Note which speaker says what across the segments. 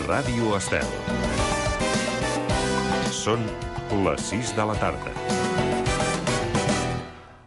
Speaker 1: Ràdio Estel. Són les 6 de la tarda.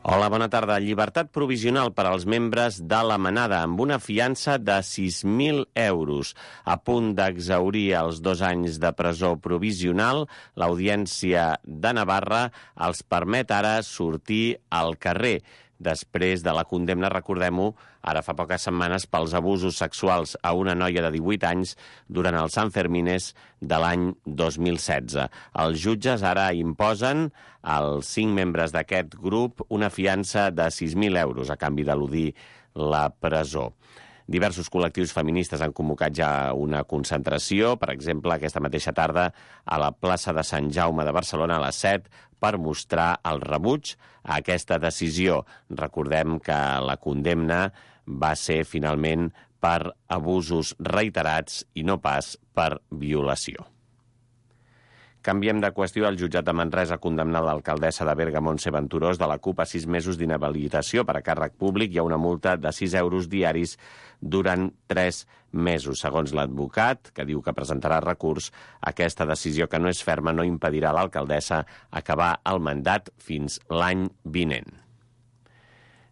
Speaker 2: Hola, bona tarda. Llibertat provisional per als membres de la Manada amb una fiança de 6.000 euros. A punt d'exhaurir els 2 anys de presó provisional, l'Audiència de Navarra els permet ara sortir al carrer. Després de la condemna, recordem-ho, ara fa poques setmanes, pels abusos sexuals a una noia de 18 anys durant els Sanfermines de l'any 2016. Els jutges ara imposen als 5 membres d'aquest grup una fiança de 6.000 euros a canvi d'eludir la presó. Diversos col·lectius feministes han convocat ja una concentració, per exemple, aquesta mateixa tarda a la plaça de Sant Jaume de Barcelona a les 7, per mostrar el rebuig a aquesta decisió. Recordem que la condemna va ser finalment per abusos reiterats i no pas per violació. Canviem de qüestió. El jutjat de Manresa ha condemnat l'alcaldessa de Berga, Montse Venturós, de la CUP, a 6 mesos d'inhabilitació per a càrrec públic i a una multa de 6 euros diaris durant 3 mesos. Segons l'advocat, que diu que presentarà recurs, aquesta decisió, que no és ferma, no impedirà a l'alcaldessa acabar el mandat fins l'any vinent.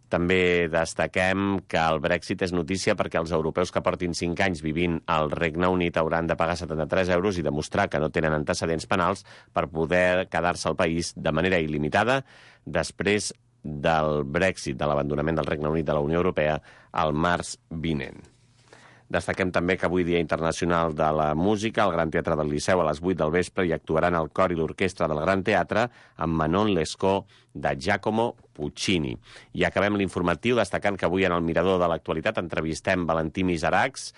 Speaker 2: També destaquem que el Brexit és notícia perquè els europeus que portin 5 anys vivint al Regne Unit hauran de pagar 73 euros i demostrar que no tenen antecedents penals per poder quedar-se al país de manera il·limitada després del Brexit, de l'abandonament del Regne Unit de la Unió Europea, al març vinent. Destaquem també que avui, Dia Internacional de la Música, al Gran Teatre del Liceu a les 8 del vespre hi actuaran el cor i l'orquestra del Gran Teatre amb Manon Lescaut de Giacomo Puccini. I acabem l'informatiu destacant que avui en el Mirador de l'Actualitat entrevistem Valentí Miseracs,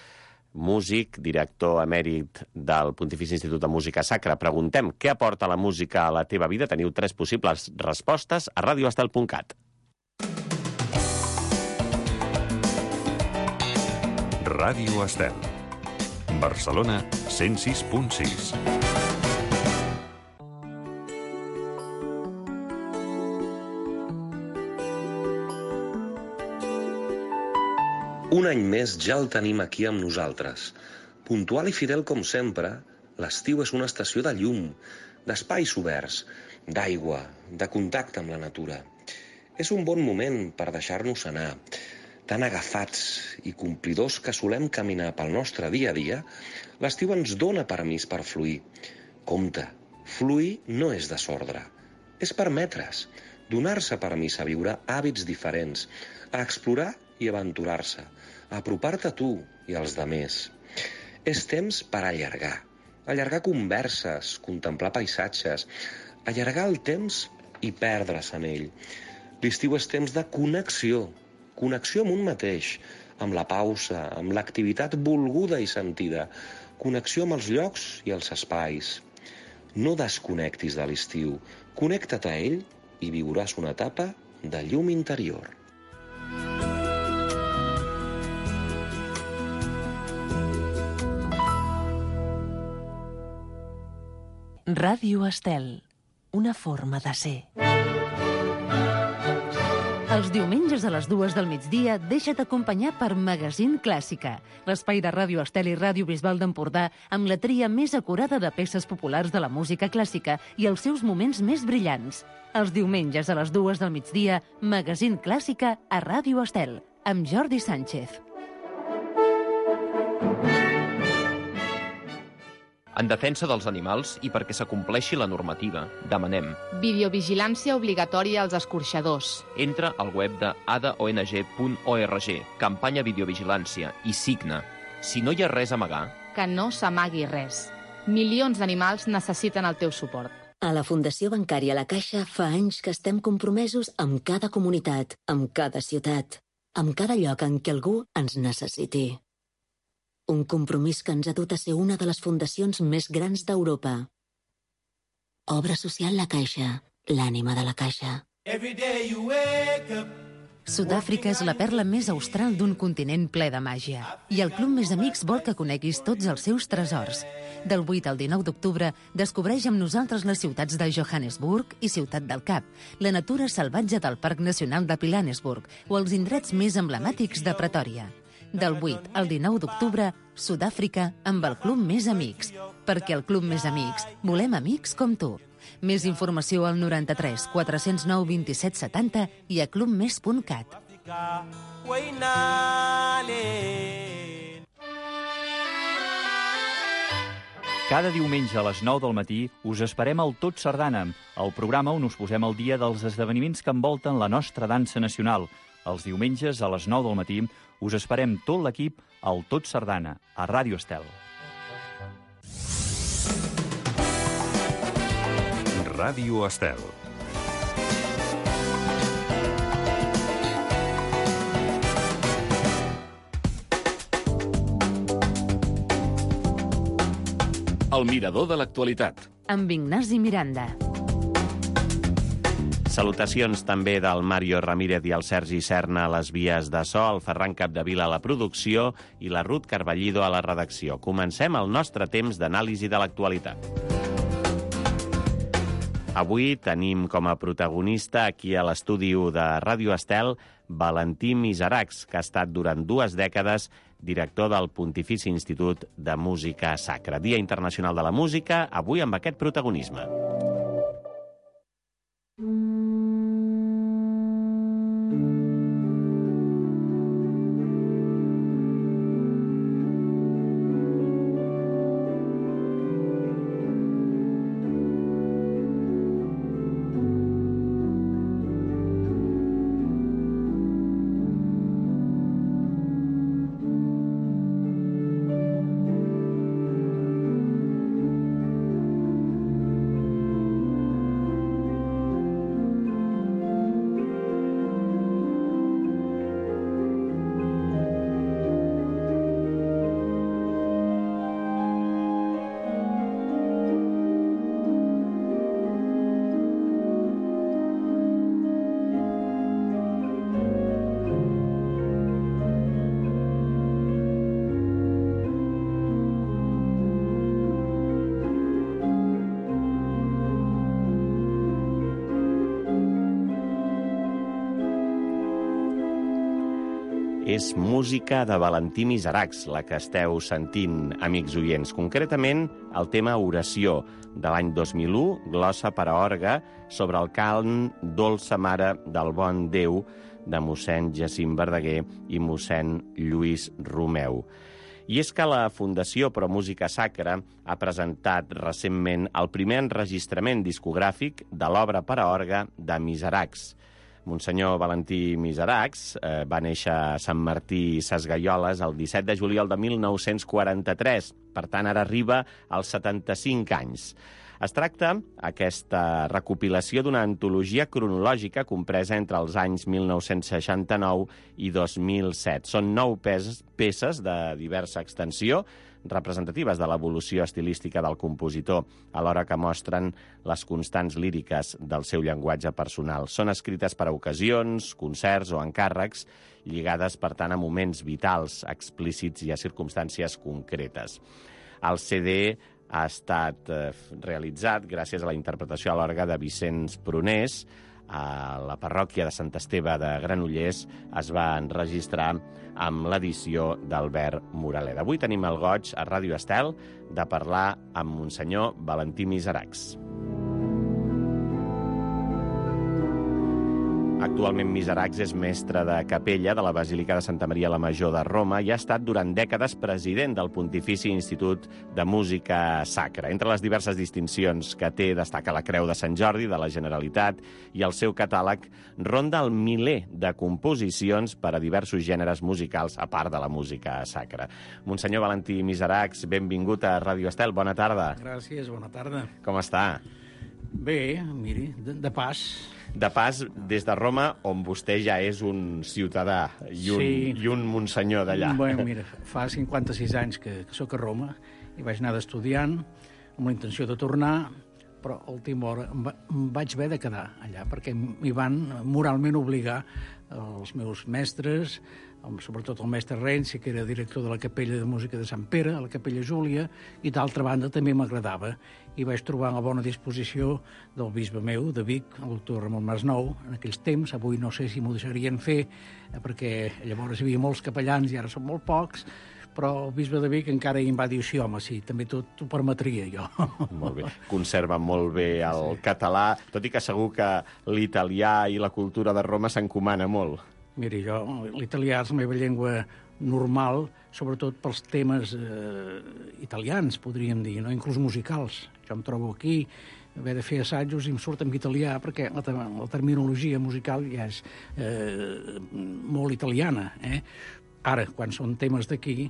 Speaker 2: músic, director emèrit del Pontifici Institut de Música Sacra. Preguntem què aporta la música a la teva vida. Teniu 3 possibles respostes a radioestel.cat.
Speaker 1: Ràdio Estel. Barcelona 106.6.
Speaker 3: Un any més ja el tenim aquí amb nosaltres. Puntual i fidel com sempre, l'estiu és una estació de llum, d'espais oberts, d'aigua, de contacte amb la natura. És un bon moment per deixar-nos anar. Tan agafats i complidors que solem caminar pel nostre dia a dia, l'estiu ens dona permís per fluir. Compte, fluir no és desordre, és permetre's, donar-se permís a viure hàbits diferents, a explorar i aventurar-se, a apropar-te a tu i als demés. És temps per allargar converses, contemplar paisatges, allargar el temps i perdre's en ell. L'estiu és temps de connexió amb un mateix, amb la pausa, amb l'activitat volguda i sentida, connexió amb els llocs i els espais. No desconnectis de l'estiu, connecta't a ell i viuràs una etapa de llum interior.
Speaker 4: Ràdio Estel, una forma de ser. Els diumenges a les 2 del migdia deixa't acompanyar per Magazín Clàssica, l'espai de Ràdio Estel i Ràdio Bisbal d'Empordà amb la tria més acurada de peces populars de la música clàssica i els seus moments més brillants. Els diumenges a les 2 del migdia, Magazín Clàssica a Ràdio Estel, amb Jordi Sánchez.
Speaker 5: En defensa dels animals i perquè s'acompleixi la normativa, demanem
Speaker 6: videovigilància obligatòria als escorxadors.
Speaker 5: Entra al web de adaong.org, campanya videovigilància, i signa. Si no hi ha res a amagar,
Speaker 6: Que no s'amagui res. Milions d'animals necessiten el teu suport.
Speaker 7: A la Fundació Bancària La Caixa fa anys que estem compromesos amb cada comunitat, amb cada ciutat, amb cada lloc en què algú ens necessiti. Un compromís que ens ha dut a ser una de les fundacions més grans d'Europa. Obra social La Caixa, l'ànima de la Caixa.
Speaker 4: Sud-àfrica és la perla més austral d'un continent ple de màgia. I el Club Més Amics vol que coneguis tots els seus tresors. Del 8 al 19 d'octubre, descobreix amb nosaltres les ciutats de Johannesburg i Ciutat del Cap, la natura salvatge del Parc Nacional de Pilanesburg o els indrets més emblemàtics de Pretòria. Del 8 al 19 d'octubre, Sud-àfrica amb el Club Més Amics. Perquè al Club Més Amics volem amics com tu. Més informació al 93 409 27 70 i a clubmes.cat.
Speaker 8: Cada diumenge a les 9 del matí us esperem al Tot Sardana, el programa on us posem al dia dels esdeveniments que envolten la nostra dansa nacional. Els diumenges a les 9 del matí us esperem tot l'equip al Tot Sardana, a Ràdio Estel.
Speaker 1: Ràdio Estel. El mirador de l'actualitat.
Speaker 4: Amb Ignasi Miranda.
Speaker 2: Salutacions també del Mario Ramírez i el Sergi Serna a les vies de so, el Ferran Capdevila a la producció i la Ruth Carballido a la redacció. Comencem el nostre temps d'anàlisi de l'actualitat. Avui tenim com a protagonista aquí a l'estudi de Ràdio Estel Valentí Miseracs, que ha estat durant 2 dècades director del Pontifici Institut de Música Sacra. Dia Internacional de la Música, avui amb aquest protagonisme. És música de Valentí Miseracs, la que esteu sentint, amics oients. Concretament, el tema Oració, de l'any 2001, glossa per a orgue, sobre el cant Dolça Mare del Bon Déu, de mossèn Jacint Verdaguer i mossèn Lluís Romeu. I és que la Fundació Pro Música Sacra ha presentat recentment el primer enregistrament discogràfic de l'obra per a orgue de Miseracs. Monsenyor Valentí Miseracs va néixer a Sant Martí Sesgueioles el 17 de juliol de 1943. Per tant, ara arriba als 75 anys. Es tracta aquesta recopilació d'una antologia cronològica compresa entre els anys 1969 i 2007. Són 9 peces de diversa extensió, representatives de l'evolució estilística del compositor, alhora que mostren les constants líriques del seu llenguatge personal. Són escrites per a ocasions, concerts o encàrrecs, lligades, per tant, a moments vitals, explícits i a circumstàncies concretes. El CD ha estat realitzat gràcies a la interpretació a l'orgue de Vicenç Prunés. A la parròquia de Sant Esteve de Granollers es va enregistrar amb l'edició d'Albert Moraleda. Avui tenim el goig a Ràdio Estel de parlar amb Monsenyor Valentí Miseracs. Actualment Miseracs és mestre de capella de la Basílica de Santa Maria la Major de Roma i ha estat durant dècades president del Pontifici Institut de Música Sacra. Entre les diverses distincions que té destaca la Creu de Sant Jordi de la Generalitat i el seu catàleg ronda el miler de composicions per a diversos gèneres musicals, a part de la música sacra. Monsenyor Valentí Miseracs, benvingut a Ràdio Estel. Bona tarda.
Speaker 9: Gràcies, bona tarda.
Speaker 2: Com està?
Speaker 9: Bé, miri, de pas.
Speaker 2: De pas, des de Roma, on vostè ja és un ciutadà i un monsenyor d'allà.
Speaker 9: Bueno, mira, fa 56 anys que sóc a Roma i vaig anar d'estudiant amb la intenció de tornar, però a última hora em vaig haver de quedar allà perquè m'hi van moralment obligar els meus mestres sobretot el mestre Renzi, que era director de la Capella de Música de Sant Pere, a la Capella Júlia, i d'altra banda també m'agradava. I vaig trobar la bona disposició del bisbe meu, de Vic, el doctor Ramon Masnou, en aquells temps. Avui no sé si m'ho deixarien fer, perquè llavors hi havia molts capellans i ara són molt pocs, però el bisbe de Vic encara em va dir, sí, home, sí, també t'ho permetria jo.
Speaker 2: Molt bé. Conserva molt bé el català, tot i que segur que l'italià i la cultura de Roma s'encomana molt.
Speaker 9: Miri, l'italià és la meva llengua normal, sobretot pels temes italians, podríem dir, no? Inclús musicals. Jo em trobo aquí, haver de fer assajos i em surt en italià, perquè la terminologia musical ja és molt italiana. Ara, quan són temes d'aquí,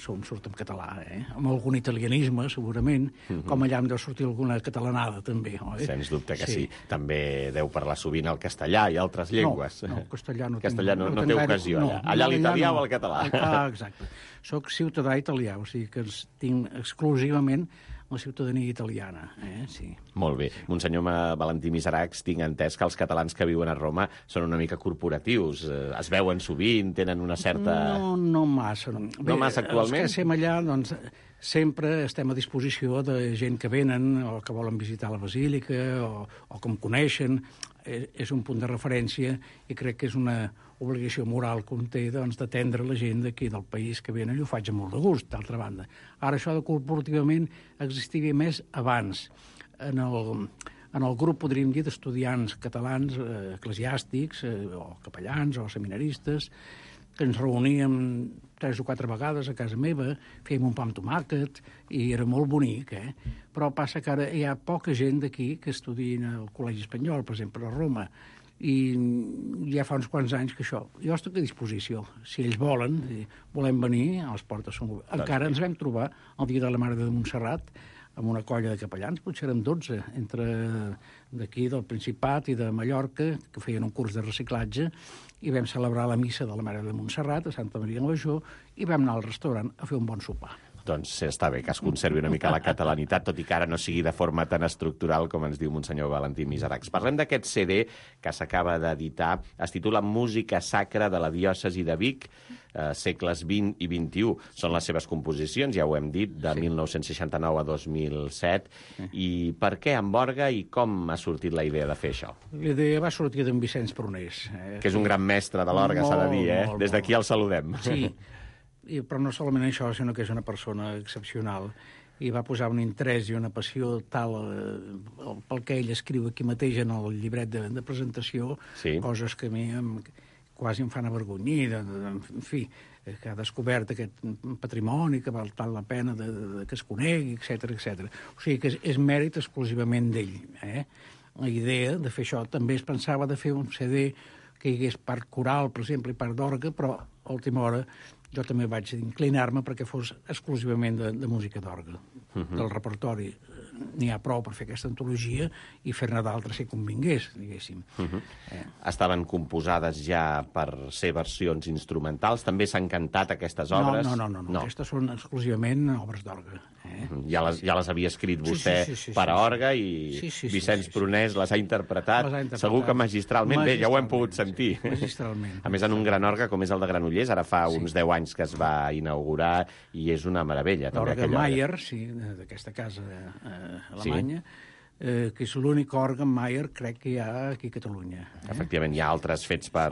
Speaker 9: surt en català, amb algun italianisme, segurament, com allà em deu sortir alguna catalanada, també.
Speaker 2: Sens dubte que sí. També deu parlar sovint el castellà i altres llengües.
Speaker 9: No, castellà no
Speaker 2: té ocasió, allà. Allà l'italià o el català.
Speaker 9: Exacte. Soc ciutadà italià, o sigui que tinc exclusivament la ciutadania italiana, sí.
Speaker 2: Molt bé. Monsenyor Valentí Miseracs, tinc entès que els catalans que viuen a Roma són una mica corporatius, es veuen sovint, tenen una certa...
Speaker 9: No massa.
Speaker 2: No massa actualment?
Speaker 9: Els que estem allà, doncs, sempre estem a disposició de gent que venen o que volen visitar la basílica o que em coneixen. És un punt de referència i crec que és una obligació moral que un té d'atendre la gent d'aquí del país que venen i ho faig amb molt de gust, d'altra banda. Ara això de corporativament existia més abans. En el grup, podríem dir, d'estudiants catalans, eclesiàstics, o capellans, o seminaristes, que ens reuníem 3 o 4 vegades a casa meva, fèiem un pa amb tomàquet, i era molt bonic, Però passa que ara hi ha poca gent d'aquí que estudien al Col·legi Espanyol, per exemple, a Roma, i ja fa uns quants anys que això... Jo estic a disposició. Si ells volen, volem venir, a les portes són obertes. Encara ens vam trobar el dia de la Mare de Montserrat amb una colla de capellans, potser érem 12, entre d'aquí, del Principat i de Mallorca, que feien un curs de reciclatge, i vam celebrar la missa de la Mare de Montserrat a Santa Maria de Major i vam anar al restaurant a fer un bon sopar.
Speaker 2: Doncs està bé que es conservi una mica la catalanitat, tot i que ara no sigui de forma tan estructural com ens diu Monsenyor Valentí Miseracs. Parlem d'aquest CD que s'acaba d'editar. Es titula Música sacra de la diòcesi de Vic, segles XX i XXI. Són les seves composicions, ja ho hem dit, de 1969 a 2007. I per què en Borga i com ha sortit la idea de fer això?
Speaker 9: La idea va sortir d'en Vicenç Prunés.
Speaker 2: Que és un gran mestre de l'orgue, s'ha de dir, Des d'aquí el saludem.
Speaker 9: Sí. Però no solament això, sinó que és una persona excepcional i va posar un interès i una passió tal pel que ell escriu aquí mateix en el llibret de presentació, coses que a mi quasi em fan avergonyir, en fi, que ha descobert aquest patrimoni que val tant la pena que es conegui, etc. O sigui que és mèrit exclusivament d'ell. La idea de fer això també es pensava de fer un CD que hi hagués part coral, per exemple, i part d'orgue, però a última hora jo també vaig inclinar-me perquè fos exclusivament de música d'orgue. Del repertori n'hi ha prou per fer aquesta antologia i fer-ne d'altres si convingués, diguéssim.
Speaker 2: Estaven composades ja per ser versions instrumentals? També s'han cantat aquestes obres?
Speaker 9: No. Aquestes són exclusivament obres d'orgue.
Speaker 2: Ja les havia escrit vostè per a orgue i Vicenç Prunés les ha interpretat, segur que magistralment. Bé, ja ho hem pogut sentir.
Speaker 9: Magistralment.
Speaker 2: A més, en un gran orgue com és el de Granollers, ara fa uns 10 anys que es va inaugurar i és una meravella.
Speaker 9: L'orgue Mayer, sí, d'aquesta casa alemanya, que és l'únic orgue Mayer, crec que hi ha aquí a Catalunya.
Speaker 2: Efectivament, hi ha altres fets per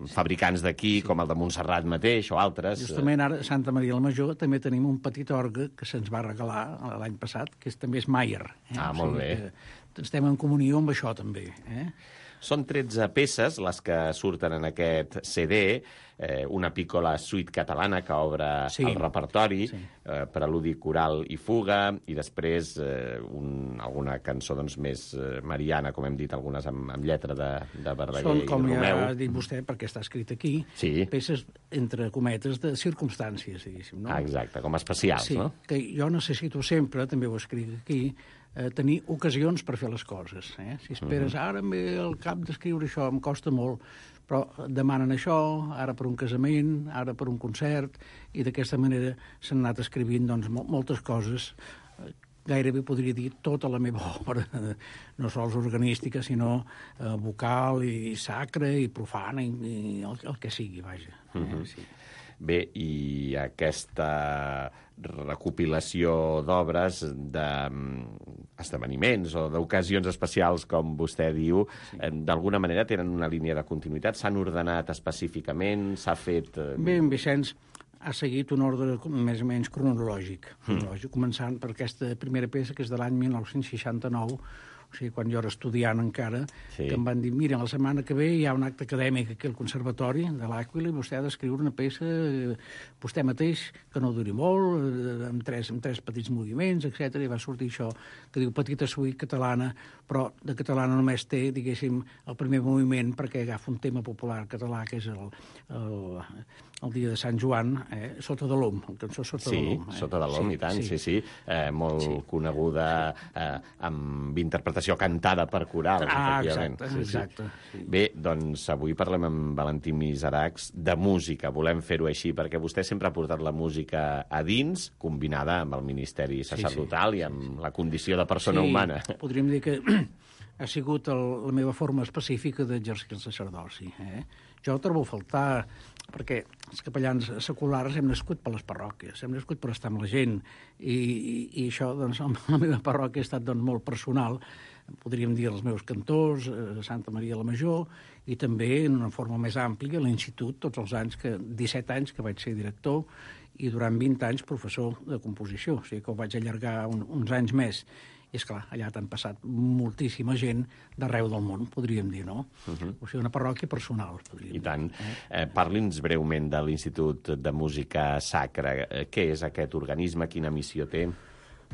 Speaker 2: fabricants d'aquí, com el de Montserrat mateix, o altres.
Speaker 9: Justament ara, a Santa Maria la Major, també tenim un petit orgue que se'ns va regalar l'any passat, que també és Mayer.
Speaker 2: Molt bé.
Speaker 9: Estem en comunió amb això, també.
Speaker 2: Són 13 peces les que surten en aquest CD, una piccola suite catalana que obre el repertori, preludi coral i fuga, i després alguna cançó més mariana, com hem dit, algunes amb lletra de Verdaguer i Romeu.
Speaker 9: Són, com ja ha dit vostè, perquè està escrit aquí, peces, entre cometes, de circumstàncies, diguéssim.
Speaker 2: Exacte, com especials, no?
Speaker 9: Sí, que jo necessito sempre, també ho escric aquí, tenir ocasions per fer les coses. Si esperes, ara em ve el cap d'escriure això, em costa molt, però demanen això, ara per un casament, ara per un concert, i d'aquesta manera s'han anat escrivint moltes coses gairebé podria dir tota la meva obra, no sols organística, sinó vocal i sacra i profana i el que sigui, vaja. Sí.
Speaker 2: Bé, i aquesta recopilació d'obres, d'esdeveniments o d'ocasions especials, com vostè diu, d'alguna manera tenen una línia de continuïtat? S'han ordenat específicament? S'ha fet...
Speaker 9: Bé, en Vicenç ha seguit un ordre més o menys cronològic, començant per aquesta primera peça, que és de l'any 1969, o sigui, quan jo era estudiant encara, que em van dir, mira, la setmana que ve hi ha un acte acadèmic aquí al Conservatori de l'Àquila i vostè ha d'escriure una peça, vostè mateix, que no duri molt, amb tres petits moviments, etc. I va sortir això, que diu Petita suite catalana, però de catalana només té, diguéssim, el primer moviment, perquè agafa un tema popular català, que és el dia de Sant Joan, Sota de l'Om, la cançó Sota de l'Om.
Speaker 2: Sota de l'Om, i tant, sí. Molt coneguda, amb interpretació cantada per corals, efectivament.
Speaker 9: Exacte.
Speaker 2: Bé, doncs avui parlem amb Valentí Miseracs de música. Volem fer-ho així perquè vostè sempre ha portat la música a dins, combinada amb el ministeri sacerdotal i amb la condició de persona humana.
Speaker 9: Podríem dir que ha sigut la meva forma específica d'exercir el sacerdoci. Jo ho trobo a faltar, perquè els capellans seculars hem nascut per les parròquies, hem nascut per estar amb la gent, i això, doncs, la meva parròquia ha estat molt personal, podríem dir els meus cantors, Santa Maria la Major, i també, en una forma més àmplia, l'institut, tots els anys, 17 anys que vaig ser director, i durant 20 anys professor de composició, o sigui que ho vaig allargar uns anys més. I, esclar, allà t'han passat moltíssima gent d'arreu del món, podríem dir, no? O sigui, una parròquia personal, podríem dir.
Speaker 2: I tant. Parli'ns breument de l'Institut de Música Sacra. Què és aquest organisme? Quina missió té?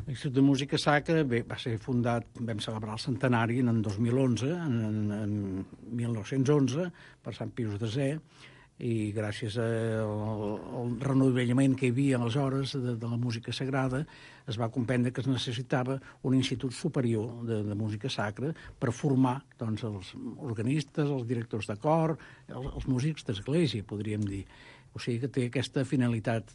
Speaker 9: L'Institut de Música Sacra, bé, va ser fundat, vam celebrar el centenari en 2011, en 1911, per Sant Pius X, i gràcies al renovellament que hi havia aleshores de la música sagrada es va comprendre que es necessitava un institut superior de música sacra per formar, doncs, els organistes, els directors de cor, els músics d'església, podríem dir. O sigui que té aquesta finalitat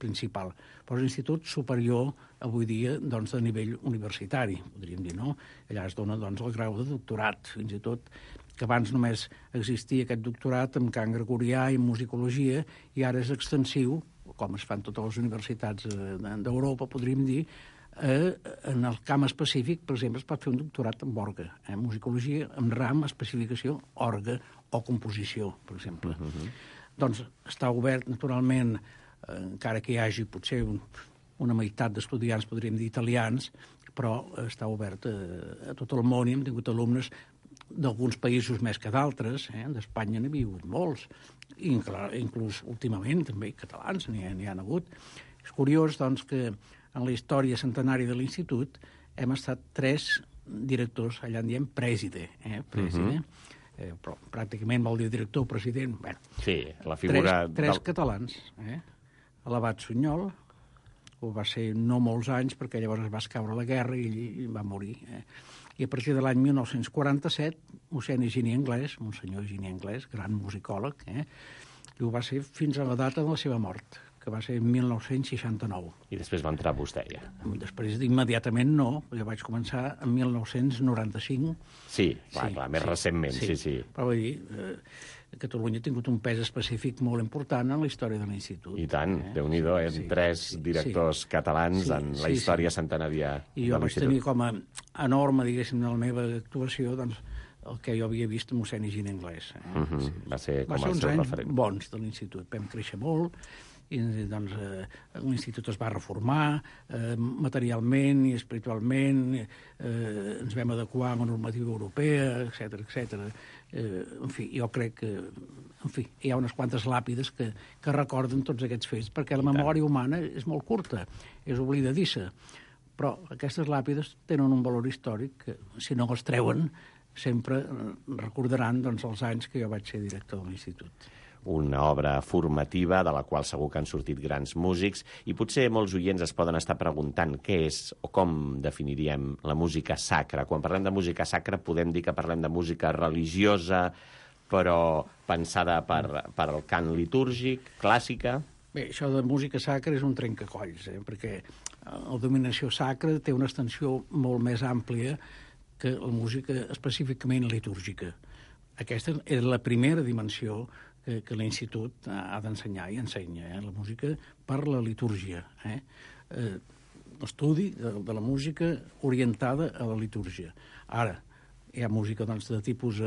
Speaker 9: principal. Però és un institut superior, avui dia, doncs, de nivell universitari, podríem dir, no? Allà es dona, doncs, el grau de doctorat, fins i tot, que abans només existia aquest doctorat en cant gregorià i en musicologia, i ara és extensiu, com es fan totes les universitats d'Europa, podríem dir, en el camp específic, per exemple, es pot fer un doctorat en orgue, musicologia, en ram, especificació, orgue o composició, per exemple. Doncs està obert, naturalment, encara que hi hagi potser una meitat d'estudiants, podríem dir, italians, però està obert a tot el món, i hem tingut alumnes d'alguns països més que d'altres, d'Espanya n'hi havia hagut molts, inclús últimament també catalans n'hi han hagut. És curiós, doncs, que en la història centenària de l'Institut hem estat 3 directors, allà en diem preside, però pràcticament vol dir director o president. Bé,
Speaker 2: sí, la figura...
Speaker 9: Tres catalans, l'abat Sunyol, ho va ser no molts anys, perquè llavors es va escaure la guerra i ell va morir. I a partir de l'any 1947, mossèn Higini Anglès, monsenyor Higini Anglès, gran musicòleg, i ho va ser fins a la data de la seva mort, que va ser en 1969.
Speaker 2: I després va entrar vostè, ja.
Speaker 9: Després, immediatament no, jo vaig començar en 1995.
Speaker 2: Sí, clar, més recentment, sí.
Speaker 9: Però vull dir, Catalunya ha tingut un pes específic molt important en la història de l'Institut.
Speaker 2: I tant, Déu-n'hi-do, 3 directors catalans en la història centenària de l'Institut.
Speaker 9: I jo vaig tenir com a enorme, diguéssim, en la meva actuació, doncs, el que jo havia vist a mossèn Higini Anglès.
Speaker 2: Va ser com el seu referent.
Speaker 9: Va ser uns anys bons de l'Institut. Vam créixer molt, i doncs l'Institut es va reformar materialment i espiritualment, ens vam adequar a la normativa europea, etc. En fi, jo crec que hi ha unes quantes làpides que recorden tots aquests fets, perquè la memòria humana és molt curta, és oblidadissa, però aquestes làpides tenen un valor històric que, si no els treuen, sempre recordaran, doncs, els anys que jo vaig ser director de l'Institut.
Speaker 2: Una obra formativa de la qual segur que han sortit grans músics, i potser molts oients es poden estar preguntant què és o com definiríem la música sacra. Quan parlem de música sacra podem dir que parlem de música religiosa, però pensada per al cant litúrgic, clàssica?
Speaker 9: Bé, això de música sacra és un trencacolls, perquè la dominació sacra té una extensió molt més àmplia que la música específicament litúrgica. Aquesta és la primera dimensió que l'Institut ha d'ensenyar i ensenya, la música per la litúrgia. L'estudi de la música orientada a la litúrgia. Ara, hi ha música de tipus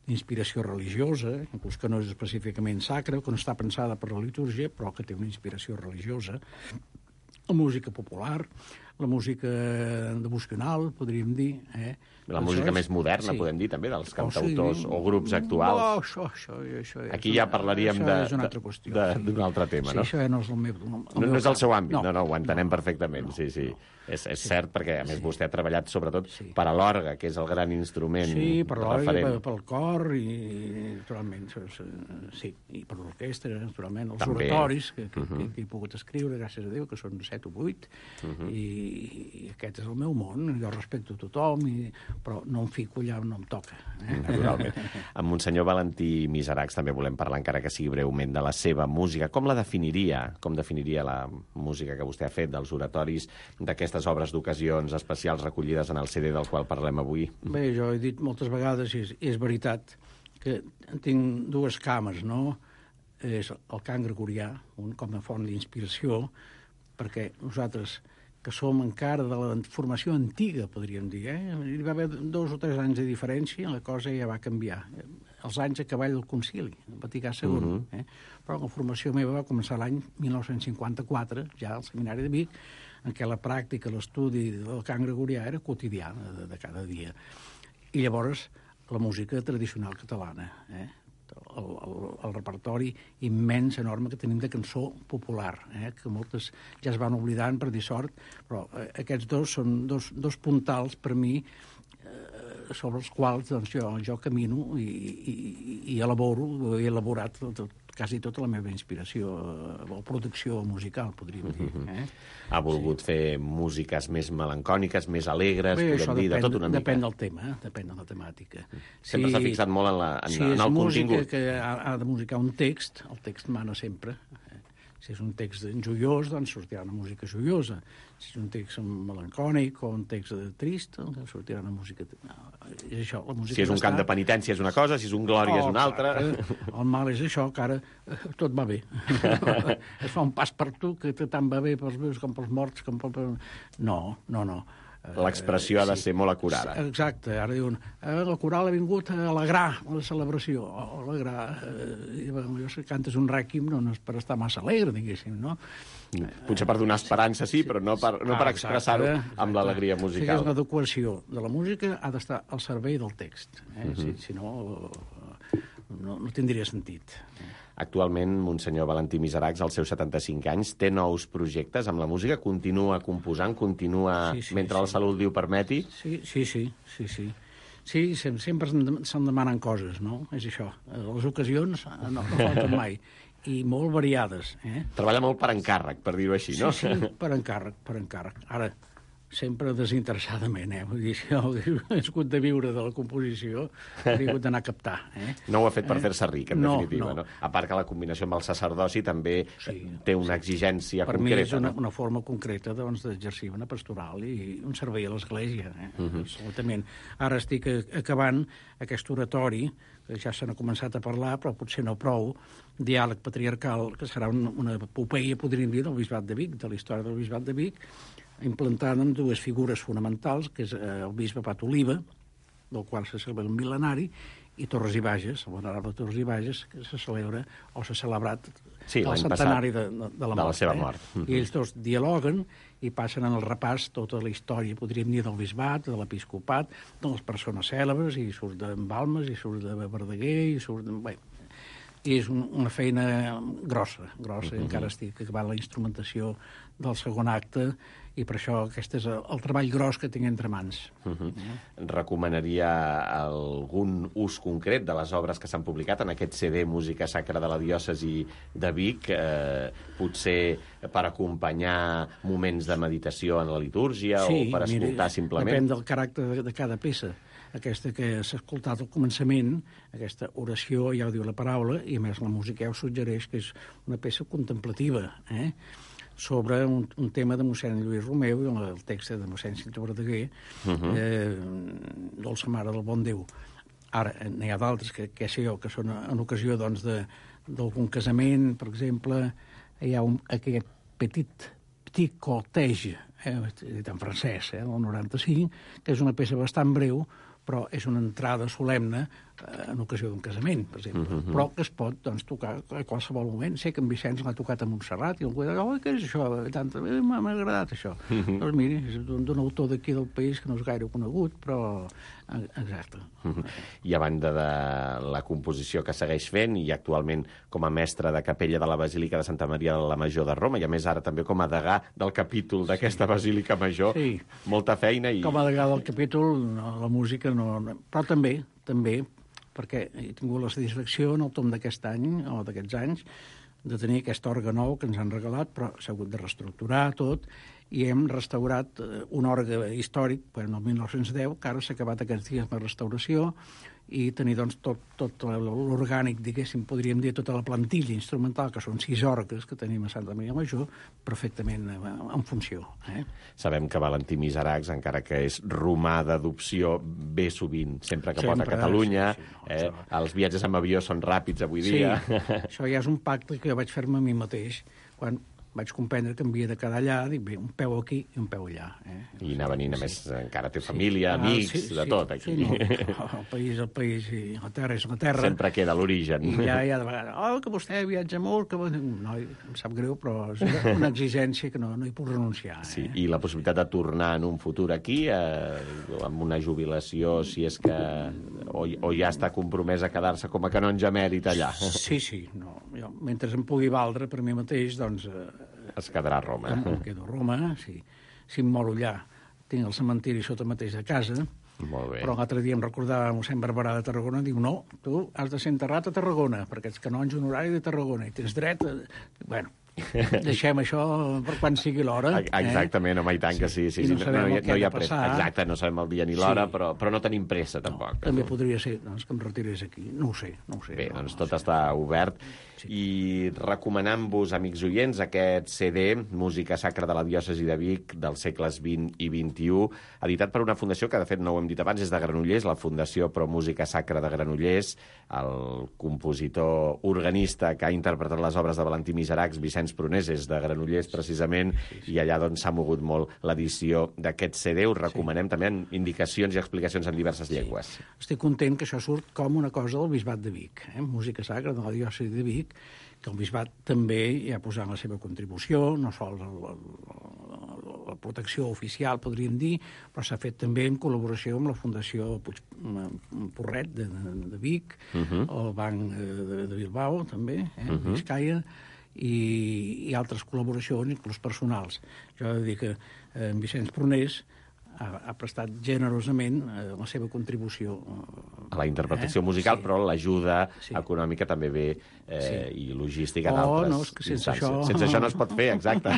Speaker 9: d'inspiració religiosa, inclús que no és específicament sacra, que no està pensada per la litúrgia, però que té una inspiració religiosa. La música popular, la música devocional, podríem dir.
Speaker 2: La música més moderna, podem dir, també, dels cantautors o grups actuals.
Speaker 9: Això
Speaker 2: aquí ja parlaríem d'un altre tema, no?
Speaker 9: Sí, això no és el meu...
Speaker 2: No és el seu àmbit, no, ho entenem perfectament, sí. És cert, perquè, a més, vostè ha treballat sobretot per a l'orgue, que és el gran instrument referent.
Speaker 9: Sí, per l'orgue, pel cor, i naturalment, sí, i per l'orquestra, naturalment, els oratoris que he pogut escriure, gràcies a Déu, que són 7 o 8, i aquest és el meu món, jo respecto tothom, però no em fico allà on no em toca.
Speaker 2: Naturalment. Amb Monsenyor Valentí Miseracs també volem parlar, encara que sigui breument, de la seva música. Com la definiria? Com definiria la música que vostè ha fet, dels oratoris, d'aquestes obres d'ocasions especials recollides en el CD del qual parlem avui?
Speaker 9: Bé, jo he dit moltes vegades, i és veritat, que tinc dues cames, no? És el cant gregorià, com a font d'inspiració, perquè nosaltres, que som encara de la formació antiga, podríem dir, hi va haver 2 o 3 anys de diferència, la cosa ja va canviar. Els anys a cavall del concili, el Vaticà II. Però la formació meva va començar l'any 1954, ja al Seminari de Vic, en què la pràctica, l'estudi del cant gregorià era quotidià, de cada dia. I llavors la música tradicional catalana, el repertori immens, enorme que tenim de cançó popular, que moltes ja es van oblidant per dir sort, però aquests dos són dos puntals per mi sobre els quals jo camino i elaboro, he elaborat quasi tota la meva inspiració o producció musical, podríem dir.
Speaker 2: Ha volgut fer músiques més melancòniques, més alegres, podem dir, de tot una mica.
Speaker 9: Depèn del tema, depèn de la temàtica.
Speaker 2: Sempre s'ha fixat molt en el contingut.
Speaker 9: Si és música que ha de musicar un text, el text mana sempre. Si és un text joiós, doncs sortirà una música joiosa. Si és un text melancònic o un text trist, doncs sortirà una música... És això, la música...
Speaker 2: Si és un cant de penitència és una cosa, si és un glòria és una altra...
Speaker 9: El mal és això, que ara tot va bé. Es fa un pas per tu, que tant va bé pels vius com pels morts, com pels... No.
Speaker 2: L'expressió ha de ser molt acurada.
Speaker 9: Exacte. Ara diuen, la coral ha vingut a alegrar la celebració. Alegrar... Si cantes un rèquim no és per estar massa alegre, diguéssim, no?
Speaker 2: Potser per donar esperança, sí, però no per expressar-ho amb l'alegria musical.
Speaker 9: Si l'adequació de la música ha d'estar al servei del text. Si no, no tindria sentit.
Speaker 2: Actualment, Monsenyor Valentí Miseracs, als seus 75 anys, té nous projectes amb la música, continua composant, mentre la salut li ho permeti?
Speaker 9: Sí, sempre se'n demanen coses, no? És això. Les ocasions no falten mai. I molt variades.
Speaker 2: Treballa molt per encàrrec, per dir-ho així, no?
Speaker 9: Sí, per encàrrec. Ara, sempre desinteressadament, vull dir, si he hagut de viure de la composició, he hagut d'anar a captar.
Speaker 2: No ho ha fet per fer-se ric, en definitiva, no? A part que la combinació amb el sacerdoci també té una exigència concreta.
Speaker 9: Per mi és una forma concreta d'exercir una pastoral i un servei a l'Església, absolutament. Ara estic acabant aquest oratori, que ja se n'ha començat a parlar, però potser no prou, diàleg patriarcal, que serà una epopeia, podríem dir, del Bisbat de Vic, de la història del Bisbat de Vic, implantant amb 2 figures fonamentals, que és el bisbe Pat Oliva, del qual se celebra el mil·lenari, i Torres i Bages, el venerable Torres i Bages, que se celebra o s'ha celebrat el centenari de la
Speaker 2: seva mort.
Speaker 9: I ells dos dialoguen i passen en el repàs tota la història, podríem dir, del bisbat, de l'episcopat, de les persones cèlebres, i surt de Balmes, i surt de Verdaguer, i surt de... Bé, i és una feina grossa, encara estic acabant la instrumentació del segon acte, i per això aquest és el treball gros que tinc entre mans.
Speaker 2: Recomanaria algun ús concret de les obres que s'han publicat en aquest CD Música Sacra de la Diòcesi de Vic, potser per acompanyar moments de meditació en la litúrgia o per escoltar simplement?
Speaker 9: Depèn del caràcter de cada peça. Aquesta que s'ha escoltat al començament, aquesta oració, ja ho diu la paraula, i a més la música ja ho suggereix que és una peça contemplativa, sobre un tema de mossèn Lluís Romeu, el text de mossèn Cinto Verdaguer, Dolça Mare del Bon Déu. Ara, n'hi ha d'altres, que sé jo, que són en ocasió d'algun casament, per exemple, hi ha aquest petit cortège, dit en francès, el 95, que és una peça bastant breu, però és una entrada solemne en ocasió d'un casament, per exemple, però que es pot tocar a qualsevol moment. Sé que en Vicenç l'ha tocat a Montserrat i algú dirà, què és això? M'ha agradat això. Doncs miri, és d'un autor d'aquí del país que no és gaire conegut, però exacte.
Speaker 2: I a banda de la composició que segueix fent, i actualment com a mestre de capella de la Basílica de Santa Maria de la Major de Roma, i a més ara també com a degà del capítol d'aquesta Basílica Major, molta feina.
Speaker 9: Com a degà del capítol, la música no... Però també, perquè he tingut la satisfacció en el tom d'aquest any, o d'aquests anys, de tenir aquest orgue nou que ens han regalat, però s'ha hagut de reestructurar tot, i hem restaurat un orgue històric, el 1910, que ara s'ha acabat aquests dies de restauració, i tenir doncs, tot l'orgànic, diguéssim, podríem dir, tota la plantilla instrumental, que són 6 orgues que tenim a Santa Maria Major, perfectament en funció.
Speaker 2: Sabem que Valentí Miseracs, encara que és romà d'adopció, ve sovint, sempre que pot a Catalunya. Els viatges amb avió són ràpids avui dia.
Speaker 9: Sí, això ja és un pacte que jo vaig fer-me a mi mateix, quan vaig comprendre que havia de quedar allà, dic, bé, un peu aquí i un peu allà.
Speaker 2: I anar venint, a més, encara té família, amics, de tot, aquí.
Speaker 9: El país, i la terra és la terra.
Speaker 2: Sempre queda l'origen.
Speaker 9: I ja de vegades, que vostè viatja molt, que... No, em sap greu, però és una exigència que no hi puc renunciar.
Speaker 2: Sí, i la possibilitat de tornar en un futur aquí, amb una jubilació, si és que... O ja està compromès a quedar-se com a canonge emèrit allà.
Speaker 9: Sí, no. Jo, mentre em pugui valdre per mi mateix, doncs...
Speaker 2: Es quedarà a Roma.
Speaker 9: Em quedo a Roma, sí. Si em moro allà, tinc el cementiri sota mateix de casa.
Speaker 2: Molt bé.
Speaker 9: Però l'altre dia em recordava mossèn Barberà de Tarragona, diu, no, tu has de ser enterrat a Tarragona, perquè ets canonge honorari de Tarragona, i tens dret a... Bueno, deixem això per quan sigui l'hora.
Speaker 2: Exactament, home, i tant que sí.
Speaker 9: I no sabem el que ha de passar.
Speaker 2: Exacte, no sabem el dia ni l'hora, però no tenim pressa, tampoc.
Speaker 9: També podria ser que em retirés aquí. No ho sé.
Speaker 2: Bé, doncs tot està obert. I recomanant-vos, amics oients, aquest CD, Música Sacra de la Diòcesi de Vic, dels segles XX i XXI, editat per una fundació que, de fet, no ho hem dit abans, és de Granollers, la Fundació Pro Música Sacra de Granollers, el compositor organista que ha interpretat les obres de Valentí Miseracs, Vicenç Prunés, és de Granollers, precisament, i allà doncs s'ha mogut molt l'edició d'aquest CD. Us recomanem també indicacions i explicacions en diverses llengües.
Speaker 9: Estic content que això surt com una cosa del Bisbat de Vic, Música Sacra de la Diòcesi de Vic, que el Bisbat també hi ha posat la seva contribució, no sols la protecció oficial, podríem dir, però s'ha fet també en col·laboració amb la Fundació Porret de Vic, el Banc de Bilbao, també, Vizcaya, i altres col·laboracions, inclús personals. Jo he de dir que en Vicenç Prunés ha prestat generosament la seva contribució
Speaker 2: a la interpretació musical, però l'ajuda econòmica també ve i logística d'altres.
Speaker 9: No, és que sense això...
Speaker 2: Sense això no es pot fer, exacte.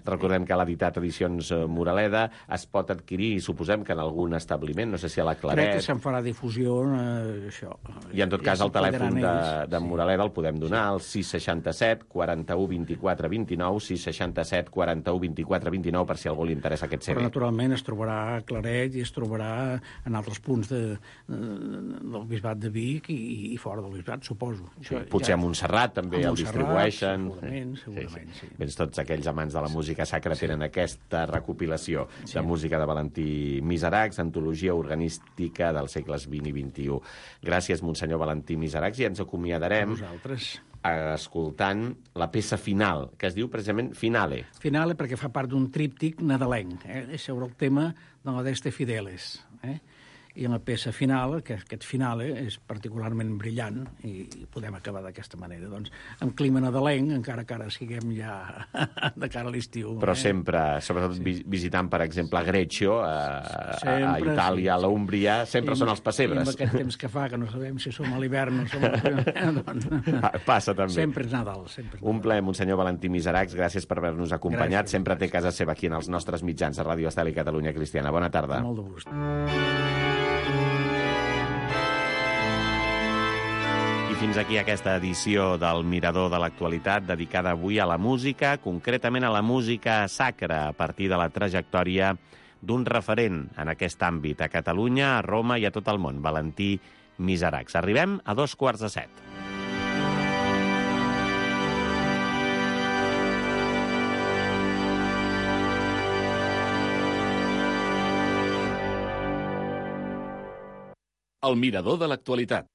Speaker 2: Recordem que l'ha editat Edicions Moraleda, es pot adquirir, suposem que en algun establiment, no sé si a la Claret...
Speaker 9: Crec que se'n farà difusió, això.
Speaker 2: I en tot cas el telèfon de Moraleda el podem donar al 667 41 24 29, 667 41 24 29, per si a algú li interessa aquest CD.
Speaker 9: Però naturalment es trobarà a Claret i es trobarà en altres punts del Bisbat de Vic i fora del Bisbat, suposo.
Speaker 2: Potser a Montserrat també el distribueixen.
Speaker 9: Segurament, sí.
Speaker 2: Doncs tots aquells amants de la música sacra tenen aquesta recopilació de música de Valentí Miseracs, antologia organística dels segles XX i XXI. Gràcies, Monsenyor Valentí Miseracs, i ens acomiadarem escoltant la peça final, que es diu precisament Finale.
Speaker 9: Finale perquè fa part d'un tríptic nadalenc, és sobre el tema de la Deste Fideles, i en la peça final, que aquest finale és particularment brillant, i podem acabar d'aquesta manera, doncs, amb clima nadalenc, encara que ara siguem ja de cara a l'estiu.
Speaker 2: Però sempre, sobretot visitant, per exemple, Greccio, a Itàlia, a l'Úmbria, sempre són els pessebres.
Speaker 9: I amb aquest temps que fa, que no sabem si som a l'hivern o som a l'hivern.
Speaker 2: Passa també.
Speaker 9: Sempre és Nadal.
Speaker 2: Un plaer, Monsenyor Valentí Miseracs, gràcies per haver-nos acompanyat. Sempre té casa seva aquí en els nostres mitjans a Ràdio Estel i Catalunya Cristiana. Bona tarda.
Speaker 9: Molt de gust.
Speaker 2: fins aquí aquesta edició del Mirador de l'Actualitat, dedicada avui a la música, concretament a la música sacra, a partir de la trajectòria d'un referent en aquest àmbit a Catalunya, a Roma i a tot el món, Valentí Miseracs. Arribem a 7:15.
Speaker 1: El Mirador de l'Actualitat.